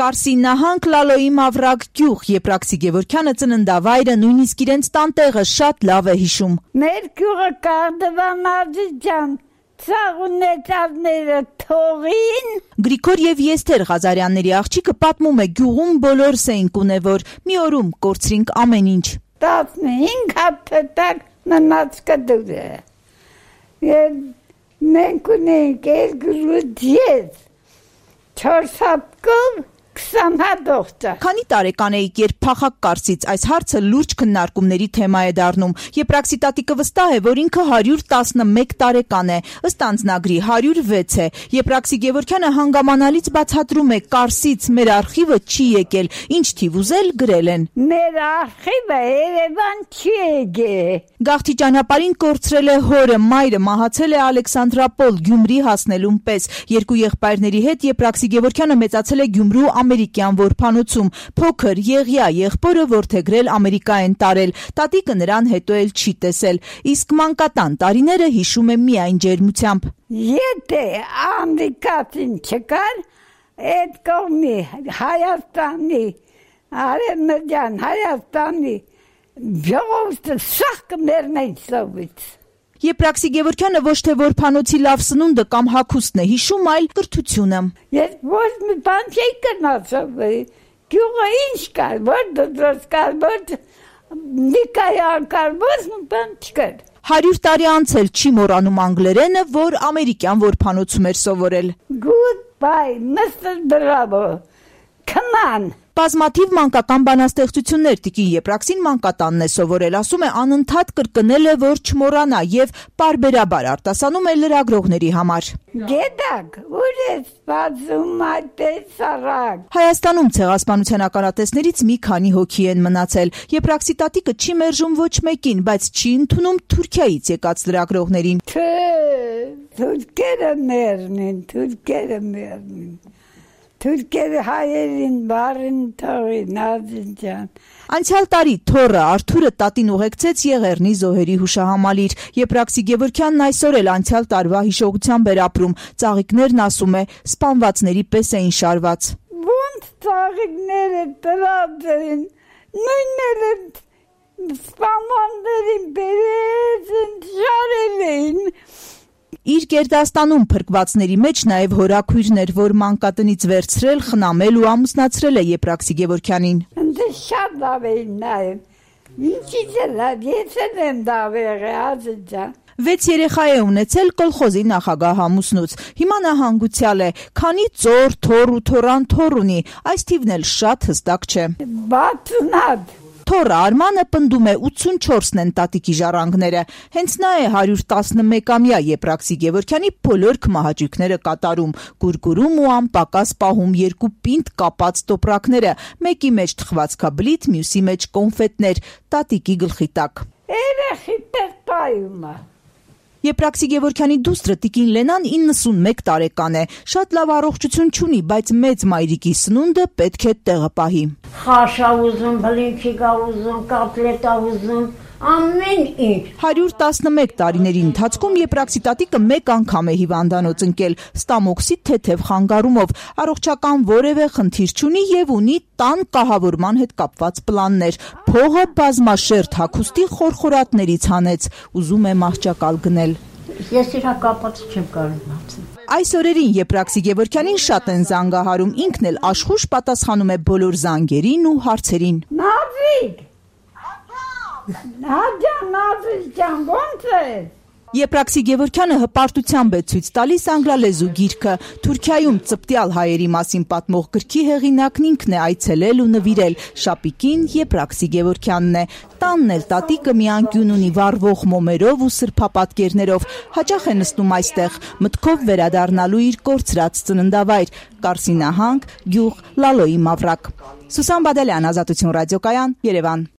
Կարսի նահանգ, Լալոյի Մավրակ գյուղ, Եփրաքսի Գևորգյանը ծննդավայրը, նույնիսկ իրենց տանտեղը շատ լավ է հիշում։ Մեր գյուղը Կարդվանաձի ջան, ծաղունեցածները թողին։ Գրիգոր եւ Եստեր Ղազարյանների աղջիկը պատմում է, գյուղում բոլորս էինք ունևոր, մի օրում կորցրինք ամեն ինչ։ 15 հատ մնաց կդուրը։ Մենք ունենք 2 ես, 4 հապկով, 20 հատողցա։ Քանի տարեկան էիք, երբ փախակ Կարսից, այս հարցը լուրջ քննարկումների թեմա է դառնում։ Եփրաքսի տատիկը վստահ է, որ ինքը 111 տարեկան է, ըստ անձնագրի 106 է։ Եփրաքսի Գևորգյանը հանգամանալից բացատրում է, Կարսից մեր արխիվը չի եկել, ինչ թիվ ուզել գրել են։ Մեր արխիվը Երևան չի եկել։ Գաղթի ճանապարհին կորցրել է հորը, մայրը մահացել է Ալեքսանդրապոլ, Գյումրի հասնելուն պես։ Երկու եղբայրների հետ Եփրաքսի Գևորգյանը մեծացել է Գյումրու ամերիկյան որբանոցում, փոքր եղյա եղբորը որդեգրել Ամերիկա են տարել, տատիկը նրան հետո էլ չի տեսել, իսկ մանկատան տարիները հիշում է միայն ջերմությամբ։ Եթե ամերիկացին չկար, այդ կողմի Հայաստանի, Արևմտյան Հայաստանի ժողովուրդը սաղ կմեռնեն սովից։ Եփրաքսի Գևորգյանը ոչ թե որբանոցի լավ սնունդը կամ հագուստն է հիշում, այլ կրթությունը։ Ես ոչ մի բան չի կնացավ, գյուղը ինչ կար, որ դրոց կար, որ նիկայան կար, ոչ մի բան չկար։ 100 տարի անցել չի մոռանում անգլերենը, որ ամերիկյան որբանոցում էր սովորել։ Goodbye, Mr. Bravo, come on։ Բազմաթիվ մանկական բանաստեղծություններ տիկին Եփրաքսին մանկատանն է սովորել, ասում է անընդհատ կրկնել է, որ չմոռանա եւ պարբերաբար արտասանում է լրագրողների համար։ Գետակ, ուր է սպասում այդպես արագ։ Հայաստանում ցեղասպանության ականատեսներից մի քանի հոգի են մնացել։ Եփրաքսի տատիկը չի մերժում ոչ մեկին, բայց չի ընդունում Թուրքիայից եկած լրագրողներին։ Թուրքերը մեռնին։ Թուրքերը հայերին բարին թողին, Ազիջան։ Անցյալ տարի թոռը Արթուրը տատին ուղեկցեց Եղեռնի զոհերի հուշահամալիր։ Եփրաքսի Գևորգյանն այսօր էլ անցյալ տարվա հիշողությամբ էր ապրում։ Ծաղիկներն, ասում է, սպանվածների պես էին շարված։ Ոնց ծաղիկները տրած էին, նույնները սպանվածներին բերեցին, շարել էին։ Իր գերդաստանում փրկվածների մեջ նաև հորաքույրներ, որ մանկատնից վերցրել, խնամել ու ամուսնացրել է Եփրաքսի Գևորգյանին։ Ընդ շատ լավ էին նաև։ Ինչի՞ց է լավ, ես եմ լավ եղել, Ազիջան։ 6 երեխա է ունեցել կոլխոզի նախագահ ամուսնուց։ Հիմա նա հանգուցյալ է, քանի ծոր, թոռ ու թոռան թոռ ունի, այս թիվն էլ շատ հստակ չէ։ 60 Թոռը Արմանը պնդում է 84-ն են տատիկի ժառանգները։ Հենց նա է 111-ամյա Եփրաքսի Գևորգյանի բոլոր քմահաճույքները կատարում, գուրգուրում ու անպակաս պահում 2 պինդ կապած տոպրակները, մեկի մեջ թխվածքաբլիթ, մյուսի մեջ կոնֆետներ, տատիկի գլխի տակ։ Երեխի տերտայումը։ Եփրաքսի Գևորգյանի դուստրը տիկին Լենան 91 տարեկան է, շատ լավ առողջություն չունի, բայց մեծ մայրիկի սնունդը պետք է տեղը պահի։ Խաշա ուզում, բլինչիկա ուզում, կատլետա ուզում, ամեն ինչ։ 111 տարիների ընթացքում Եփրաքսի տատիկը մեկ անգամ է հիվանդանոց ընկել, ստամոքսի թեթև խանգարումով, առողջական որևէ խնդիր չունի եւ ունի տան կահավորման հետ կապված պլաններ։ Փողը բազմաշերտ հագուստի խորխորատներից հանեց, ուզում է մահճակալ գնել։ Ես իրա կապած չեմ կարող ասել։ Այս օրերին Եփրաքսի Գևորգյանին շատ են զանգահարում, ինքն էլ աշխուժ պատասխանում է բոլոր զանգերին ու հարցերին։ Նազիկ, Նազիկ, ո՞նց ես։ Եփրաքսի Գևորգյանը հպարտությամբ է ցույց տալիս անգլալեզու գիրքը։ Թուրքիայում ծպտյալ հայերի մասին պատմող գրքի հեղինակն ինքն է այցելել ու նվիրել։ Շապիկին Եփրաքսի Գևորգյանն է։ Տանն էլ տատիկը մի անկյուն ունի վառվող մոմերով ու սրբապատկերներով։ Հաճախ է նստում այստեղ, մտքով վերադառնալու իր կորցրած ծննդավայր՝ Կարսի նահանգ, գյուղ, Լալոյի Մավրակ։ Սուսան Բադալյան, Ազատություն ռադիոկայան, Երևան։